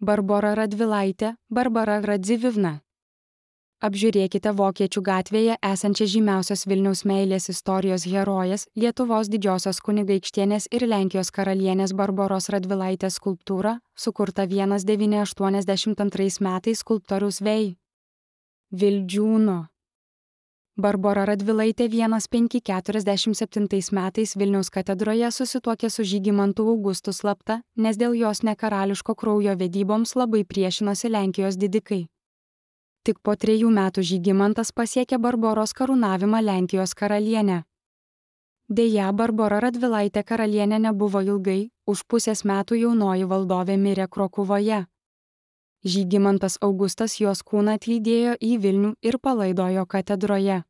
Barbora Radvilaitė, Barbara Radzivivna. Apžiūrėkite Vokiečių gatvėje esančią žymiausios Vilniaus meilės istorijos herojės, Lietuvos didžiosios kunigaikštienės ir Lenkijos karalienės Barboros Radvilaitės skulptūrą, sukurtą 1982 metais skulptoriaus Vei. Vildžiūno. Barbora Radvilaitė 1547 metais Vilniaus katedroje susituokė su Žygimantu Augustu slapta, nes dėl jos nekarališko kraujo vedyboms labai priešinosi Lenkijos didikai. Tik po 3 metų Žygimantas pasiekė Barboros karūnavimą Lenkijos karalienę. Deja, Barbora Radvilaitė karalienė nebuvo ilgai, už pusės metų jaunoji valdovė mirė Krokuvoje. Žygimantas Augustas jos kūną atlydėjo į Vilnių ir palaidojo katedroje.